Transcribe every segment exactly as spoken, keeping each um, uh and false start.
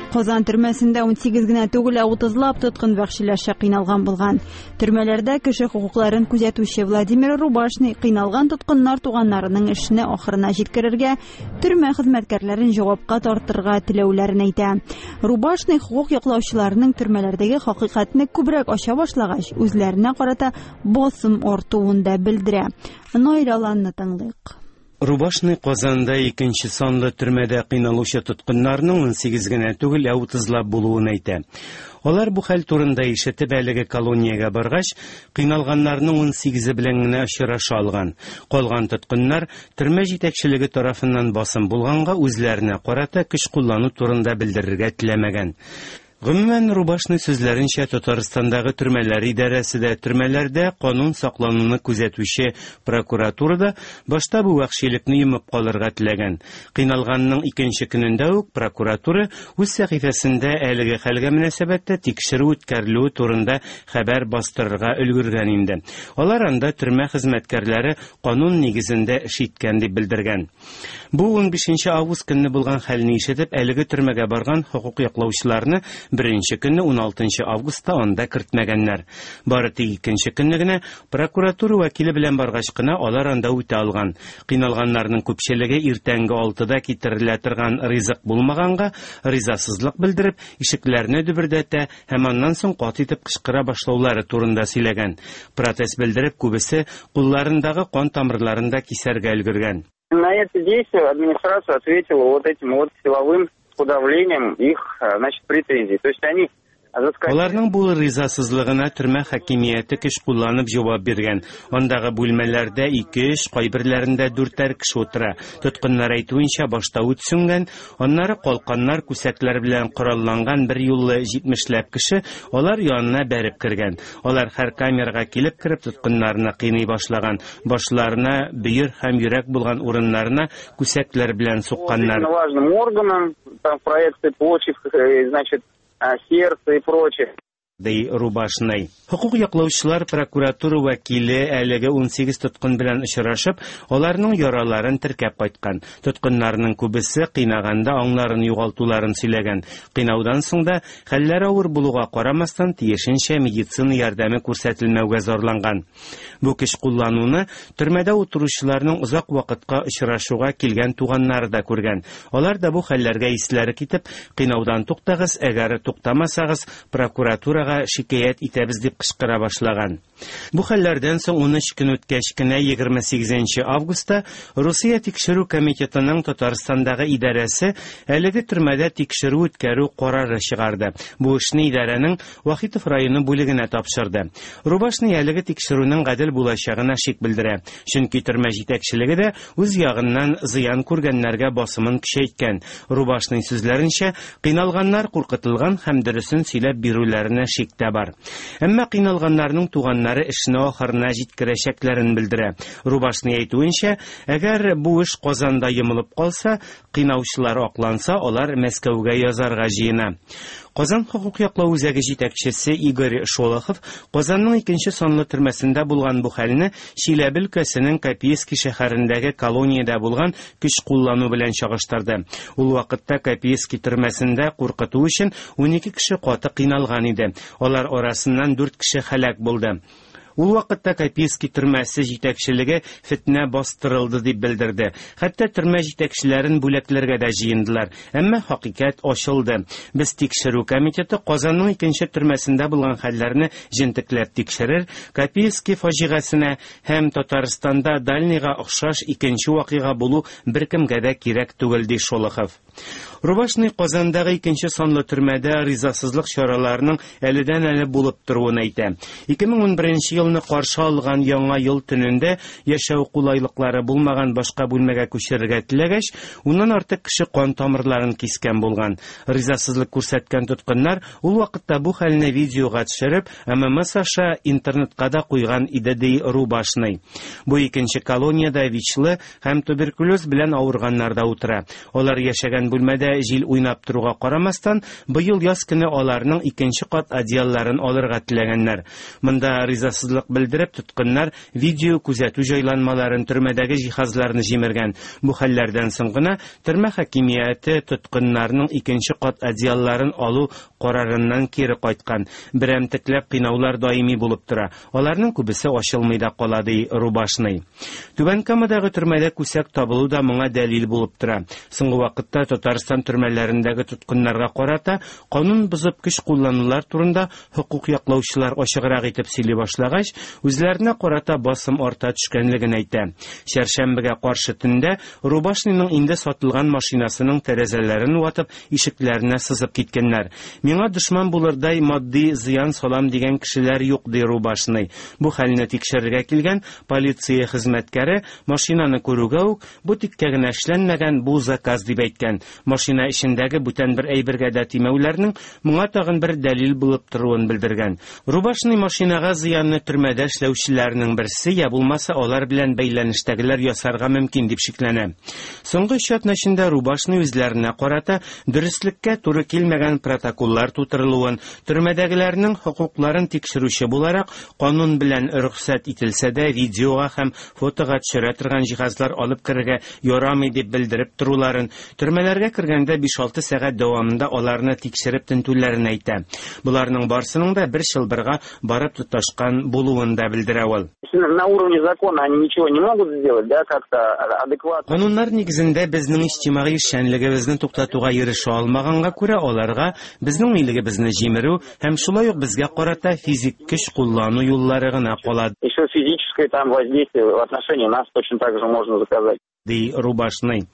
Казан төрмәсендә унсигез генә түгел, ә утызлап тоткын вәхшиләрчә кыйналган булган. Төрмәләрдә кеше хокукларын күзәтүче Владимир Рубашный кыйналган тоткыннар туганнарының эшне ахырына җиткерергә, төрмә хезмәткәрләрен җавапка тартырга теләүләрен әйтә. Рубашный хокук яклаучыларының төрмәләрдәге хакыйкатьне күбрәк ача башлагач, үзләренә карата басым артуын да белдерә. Наил Аланны тыңлыйк. Рубашный Казанда икенче санлы төрмәдә кыйналучы тоткыннарның унсигез генә түгел, ә утызлап булуын әйтә. Алар бу хәл турында ишетеп әлеге колониягә баргач, кыйналганнарның унсигезе белән генә очраша алган. Калган тоткыннар төрмә җитәкчелеге тарафыннан басым булганга үзләренә карата көч куллану турында белдерергә теләмәгән. Гомумән, Рубашный сүзләренчә, Татарстандагы төрмәләр идарәсе дә, төрмәләрдә канун саклануны күзәтүче прокуратура да башта бу вәхшилекне йомып калырга теләгән. Кыйналганның икенче көнендә үк прокуратура үз сәхифәсендә әлеге хәлгә мөнәсәбәттә тикшерү үткәрелүе турында хәбәр бастырырга өлгергән инде. Алар анда төрмә хезмәткәрләре канун нигезендә эш иткән дип белдергән. Бу унбишенче август көнне булган хәлне ишетеп, әлеге төрмәгә барган хокук яклаучыларны беренче көнне уналтынчы августта анда кертмәгәннәр. Бары тик икенче көнне генә прокуратура вәкиле белән баргач кына алар анда үтә алган. Кыйналганнарның күпчелеге иртәнге алтыда китерелә торган ризык булмаганга ризасызлык белдереп, ишекләрне дөбердәтә һәм аннан соң каты итеп кычкыра башлаулары турында сөйләгән. Протест белдереп, күбесе кулларындагы кан тамырларын да кисәргә өлгергән. На это действие администрация ответила вот этим вот силовым подавлением их, значит, претензий. То есть они заскочили. Аларның бу ризасызлыгына төрмә хакимияте көч кулланып җавап биргән. Андагы бүлмәләрдә ике-өч, кайберләрендә дүртәр кеше утыра. Тоткыннар әйтүенчә, башта ут сүнгән, аннары калканнар, күсәкләр белән коралланган бер юллы җитмешләп кеше алар янына бәреп кергән. Алар һәр камерага килеп кереп тоткыннарны кыйный башлаган. Башларына бөер һәм йөрәк булган урыннарына күсәкләр белән сукканнар. Важным органам, там проекты почек, значит, сердце и прочее. Ди Рубашный. Хокук яклаучылар прокуратура вәкиле әлеге унсигез тоткын белән очрашып, аларның яраларын теркәп кайткан. Тоткыннарның күбесе кыйнаганда аңларын югалтуларын сөйләгән. Кыйнаудан соң да хәлләре авыр булуга карамастан тиешенчә медицина ярдәме күрсәтелмәүгә зарланган. Бу көч куллануны төрмәдә утыручыларның озак вакытка очрашуга килгән туганнары да күргән. Алар да бу хәлләргә исләре китеп, кыйнаудан туктагыз, әгәр туктамасагыз, прокуратурага шикаять итәбез дип кычкыра башлаган. Бу хәлләрдән соң унөч көн үткәч кенә егерме сигезенче августта Русия тикшерү комитетының Татарстандагы идарәсе әлеге төрмәдә тикшерү үткәрү карары чыгарды. Бу эшне идарәнең Вахитов районы бүлегенә тапшырды. Рубашный әлеге тикшерүнең гадел булачагына шик белдерә. Чөнки төрмә җитәкчелеге дә үз ягыннан зыян күргәннәргә басымын көчәйткән. Рубашный сүзләренчә, кыйналганнар куркытылган һәм дөресен сөйләп бирүләренә шик тә бар. Әмма кыйналганнарның туганнары эшне ахырына җиткерәчәкләрен белдерә. Рубашный әйтүенчә, әгәр бу эш Казанда йомылып калса, кыйнаучылар акланса, алар Мәскәүгә язарга җыена. Казан хокук яклау үзәге җитәкчесе Игорь Шолохов Казанның икенче санлы төрмәсендә булган бу хәлне Чиләбе өлкәсенең Копейский шәһәрендәге колониядә булган көч куллану белән чагыштырды. Ул вакытта Копейский төрмәсендә куркыту өчен унике кеше каты кыйналган иде. Алар арасыннан дүрт кеше һәлак булды. Ул вакытта Копейский төрмәсе җитәкчелеге фетнә бастырылды дип белдерде. Хәтта төрмә җитәкчеләрен бүләкләргә дә җыендылар. Әмма хакыйкать ачылды. Без тикшерү комитеты Казанның икенче төрмәсендә булган хәлләрне җентекләп тикшерер, Копейский фаҗигасенә һәм Татарстанда Дальныйга охшаш икенче вакыйга булу беркемгә дә кирәк түгел, ди Шолохов. Рубашный Казандагы икенче санлы төрмәдә ризасызлык чараларының әледән-әле булып торуын әйтә. ике мең унберенче елны каршы алган яңа ел төнендә яшәү кулайлыклары булмаган башка бүлмәгә күчерергә теләгәч, уннан артык кеше кан тамырларын кискән булган. Ризасызлык күрсәткән тоткыннар ул вакытта бу хәлне видеога төшереп, М М С аша интернетка да куйган иде, ди Рубашный. Бу икенче колониядә ВИЧлы һәм туберкулез белән авырганнар да утыра. Алар яшәгән бүлмәдә җил уйнап торуга карамастан, быел яз көне аларның икенче кат одеялларын алырга теләгәннәр. Монда ризасызлык Наразылык белдереп, тоткыннар видео күзәтү җайланмаларын, төрмәдәге җиһазларны җимергән. Бу хәлләрдән соң гына төрмә хакимияте тоткыннарның икенче кат одеялларын алу карарыннан кире кайткан. Берәмтекләп кыйнаулар даими булып тора. Аларның күбесе ачылмый да кала, ди Рубашный. Түбән Камадагы төрмәдә күсәк табылу да моңа дәлил булып тора. Соңгы вакытта Татарстан төрмәләрендәге тоткыннарга карата канун бозып көч кулланулар турында хокук яклаучылар ачыграк итеп сөйли башлагач, үзләренә карата басым арта төшкәнлеген әйтә. Чәршәмбегә каршы төндә Рубашныйның инде сатылган машинасының тәрәзәләрен ватып, ишекләренә сызып киткәннәр. Миңа дошман булырдай матди зыян салам дигән кешеләр юк, ди Рубашный. Бу хәлне тикшерергә килгән полиция хезмәткәре машинаны күрүгә үк бу тиккә генә эшләнмәгән, бу заказ дип әйткән. Машина эчендәге бүтән бер әйбергә дә тимәүләрнең моңа тагын бер дәлил булып торуын белдергән. Рубашный машинага зыянны төрмәдә эшләүчеләрнең берсе я булмаса алар белән бәйләнештәгеләр ясарга мөмкин дип шикләнә. Соңгы өч атна эчендә Рубашный үзләренә карата дөреслеккә туры килмәгән протоколлар тутырылуын, төрмәдәгеләрнең хокукларын тикшерүче буларак канун белән рөхсәт ителсә дә видеога һәм фотога төшерә торган җиһазлар алып керергә ярамый дип белдереп торуларын, төрмәләргә кергәндә биш-алты сәгать дәвамында аларны тикшереп тентүләрен әйтә. Буларның барсының да бер чылбырга барып тоташкан булуын да белдерә ул. На уровне закона они ничего не могут сделать, да, как-то адекватно. Кануннар нигезендә безнең иҗтимагый эшчәнлегебезне туктатуга ирешә алмаганга күрә аларга безнең милегебезне җимерү һәм шулай ук безгә карата физик көч куллану юллары гына кала. Еще физическое там воздействие в отношении нас точно так же можно заказать, ди Рубашный.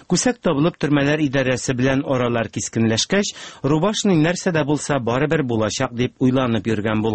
Күсәк табылып төрмәләр идарәсе белән аралар кискенләшкәч, Рубашный нәрсә дә булса барыбер булачак дип уйланып йөргән булган.